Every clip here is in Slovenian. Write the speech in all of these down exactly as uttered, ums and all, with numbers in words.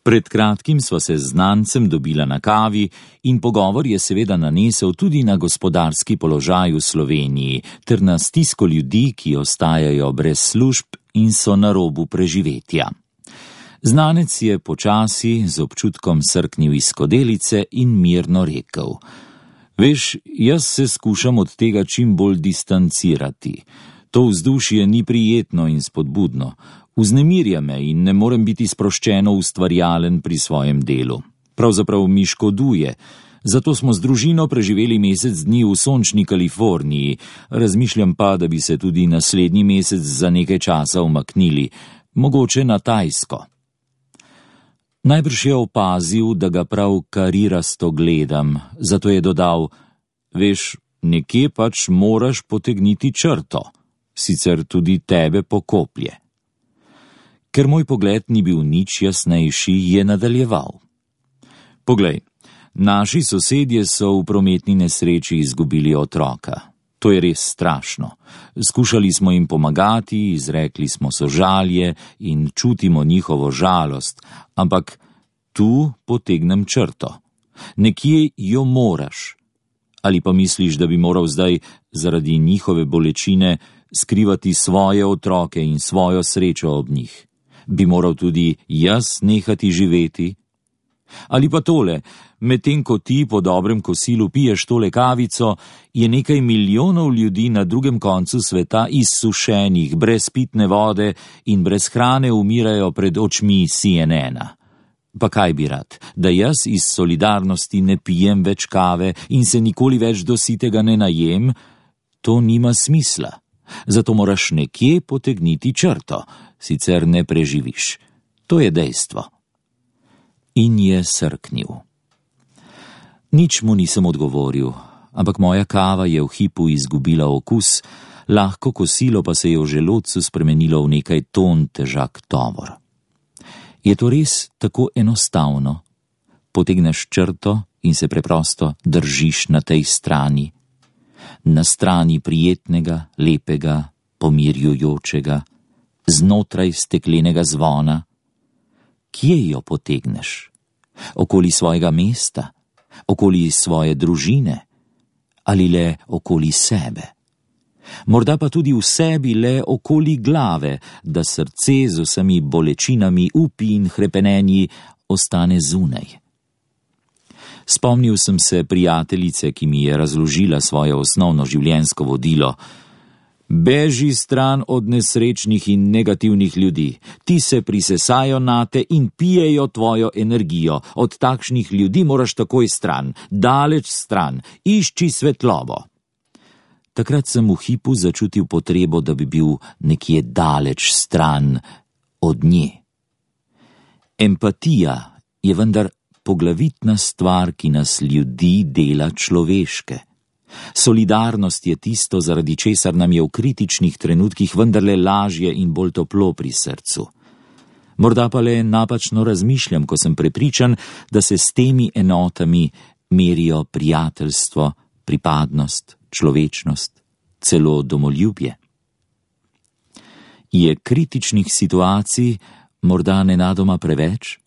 Pred kratkim sva se z znancem dobila na kavi in pogovor je seveda nanesel tudi na gospodarski položaj v Sloveniji ter na stisko ljudi, ki ostajajo brez služb in so na robu preživetja. Znanec je počasi z občutkom srknil iz skodelice in mirno rekel: Veš, jaz se skušam od tega čim bolj distancirati. To vzdušje ni prijetno in spodbudno. Vznemirja me in ne morem biti sproščeno ustvarjalen pri svojem delu. Pravzaprav mi škoduje. Zato smo z družino preživeli mesec dni v sončni Kaliforniji. Razmišljam pa, da bi se tudi naslednji mesec za nekaj časa umaknili, mogoče na Tajsko. Najbrž je opazil, da ga prav karirasto gledam, zato je dodal: Veš, nekje pač moraš potegniti črto, sicer tudi tebe pokoplje. Ker moj pogled ni bil nič jasnejši, je nadaljeval: Poglej, naši sosedje so v prometni nesreči izgubili otroka. To je res strašno. Skušali smo jim pomagati, izrekli smo sožalje in čutimo njihovo žalost, ampak tu potegnem črto. Nekje jo moraš. Ali pa misliš, da bi moral zdaj zaradi njihove bolečine skrivati svoje otroke in svojo srečo ob njih? Bi moral tudi jaz nehati živeti? Ali pa tole, medtem ko ti po dobrem kosilu piješ tole kavico, je nekaj milijonov ljudi na drugem koncu sveta izsušenih, brez pitne vode in brez hrane umirajo pred očmi C N N-a. Pa kaj bi rad, da jaz iz solidarnosti ne pijem več kave in se nikoli več do sitega ne najem? To nima smisla. Zato moraš nekje potegniti črto, sicer ne preživiš. To je dejstvo. In je srknil. Nič mu nisem odgovoril, ampak moja kava je v hipu izgubila okus, lahko kosilo pa se je v želodcu spremenilo v nekaj ton težak tovor. Je to res tako enostavno? Potegneš črto in se preprosto držiš na tej strani. Na strani prijetnega, lepega, pomirjujočega, znotraj steklenega zvona. Kje jo potegneš? Okoli svojega mesta? Okoli svoje družine? Ali le okoli sebe? Morda pa tudi v sebi le okoli glave, da srce z vsemi bolečinami, upi in hrepenenji ostane zunaj. Spomnil sem se prijateljice, ki mi je razložila svoje osnovno življenjsko vodilo. Beži stran od nesrečnih in negativnih ljudi. Ti se prisesajo nate in pijejo tvojo energijo. Od takšnih ljudi moraš takoj stran, daleč stran, išči svetlobo. Takrat sem v hipu začutil potrebo, da bi bil nekje daleč stran od nje. Empatija je vendar poglavitna stvar, ki nas ljudi dela človeške. Solidarnost je tisto, zaradi česar nam je v kritičnih trenutkih vendarle lažje in bolj toplo pri srcu. Morda pa le napačno razmišljam, ko sem prepričan, da se s temi enotami merijo prijateljstvo, pripadnost, človečnost, celo domoljubje. Je kritičnih situacij morda nenadoma preveč?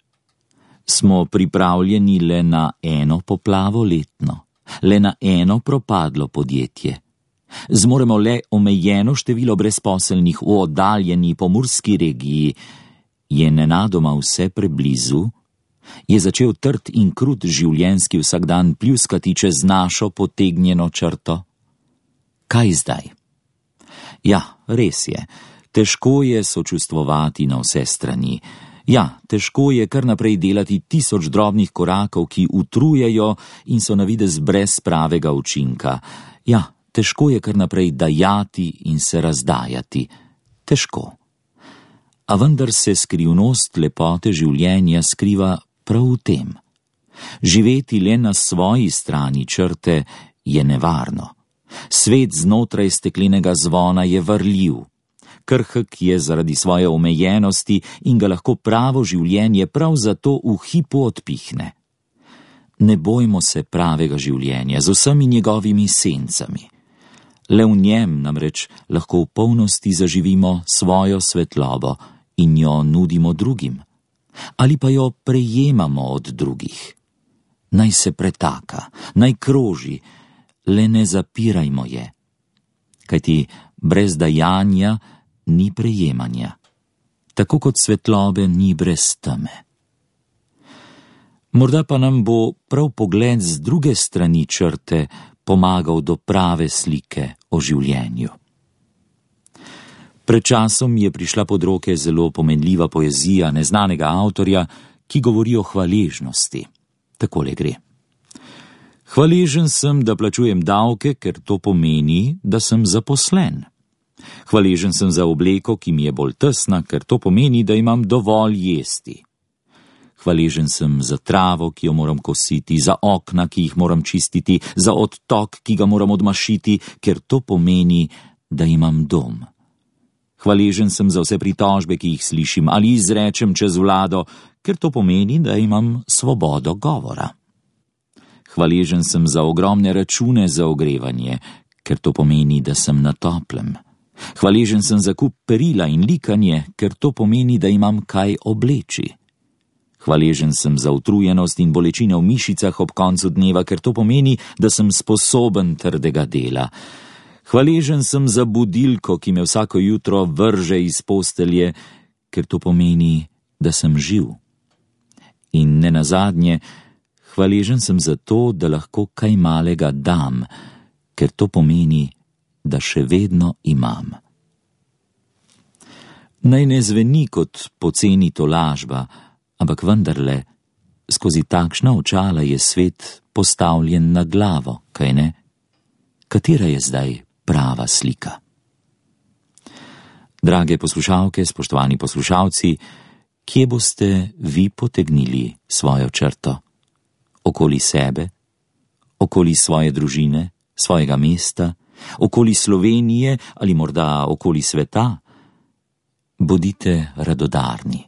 Smo pripravljeni le na eno poplavo letno, le na eno propadlo podjetje. Zmoremo le omejeno število brezposelnih v oddaljeni pomurski regiji. Je nenadoma vse preblizu? Je začel trd in krut življenjski vsakdan pljuskati čez našo potegnjeno črto? Kaj zdaj? Ja, res je, težko je sočustvovati na vse strani. Ja, težko je kar naprej delati tisoč drobnih korakov, ki utrujejo in so navidez brez pravega učinka. Ja, težko je kar naprej dajati in se razdajati. Težko. A vendar se skrivnost lepote življenja skriva prav v tem. Živeti le na svoji strani črte je nevarno. Svet znotraj steklenega zvona je varljiv. Krhek je zaradi svoje omejenosti in ga lahko pravo življenje prav zato v hipu odpihne. Ne bojmo se pravega življenja z vsemi njegovimi sencami. Le v njem namreč lahko v polnosti zaživimo svojo svetlobo in jo nudimo drugim. ali pa jo prejemamo od drugih. Naj se pretaka, naj kroži, le ne zapirajmo je. Kajti brez dajanja ni prejemanja, tako kot svetlobe ni brez teme. Morda pa nam bo prav pogled z druge strani črte pomagal do prave slike o življenju. Pred časom je prišla pod roke zelo pomenljiva poezija neznanega avtorja, ki govori o hvaležnosti. Takole gre. Hvaležen sem, da plačujem davke, ker to pomeni, da sem zaposlen. Hvaležen sem za obleko, ki mi je bolj tesna, ker to pomeni, da imam dovolj jesti. Hvaležen sem za travo, ki jo moram kositi, za okna, ki jih moram čistiti, za odtok, ki ga moram odmašiti, ker to pomeni, da imam dom. Hvaležen sem za vse pritožbe, ki jih slišim ali izrečem čez vlado, ker to pomeni, da imam svobodo govora. Hvaležen sem za ogromne račune za ogrevanje, ker to pomeni, da sem na toplem. Hvaležen sem za kup perila in likanje, ker to pomeni, da imam kaj obleči. Hvaležen sem za utrujenost in bolečine v mišicah ob koncu dneva, ker to pomeni, da sem sposoben trdega dela. Hvaležen sem za budilko, ki me vsako jutro vrže iz postelje, ker to pomeni, da sem živ. In nenazadnje, hvaležen sem za to, da lahko kaj malega dam, ker to pomeni, da še vedno imam. Naj ne zveni kot poceni tolažba, ampak vendarle, skozi takšna očala je svet postavljen na glavo, kaj ne? Katera je zdaj prava slika? Drage poslušalke, spoštovani poslušalci, kje boste vi potegnili svojo črto? Okoli sebe? Okoli svoje družine, svojega mesta? Okoli Slovenije ali morda okoli sveta? Bodite radodarni,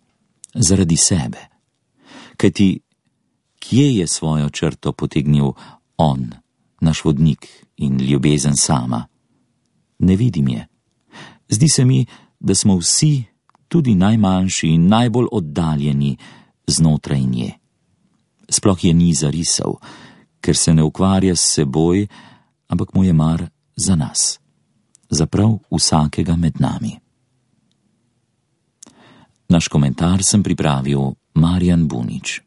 zaradi sebe. Kajti, kje je svojo črto potegnil on, naš vodnik in ljubezen sama? Ne vidim je. Zdi se mi, da smo vsi, tudi najmanjši in najbolj oddaljeni, znotraj nje. Sploh je ni zarisal, ker se ne ukvarja s seboj, ampak mu je mar za nas, za prav vsakega med nami. Naš komentar sem pripravil Marjan Bunič.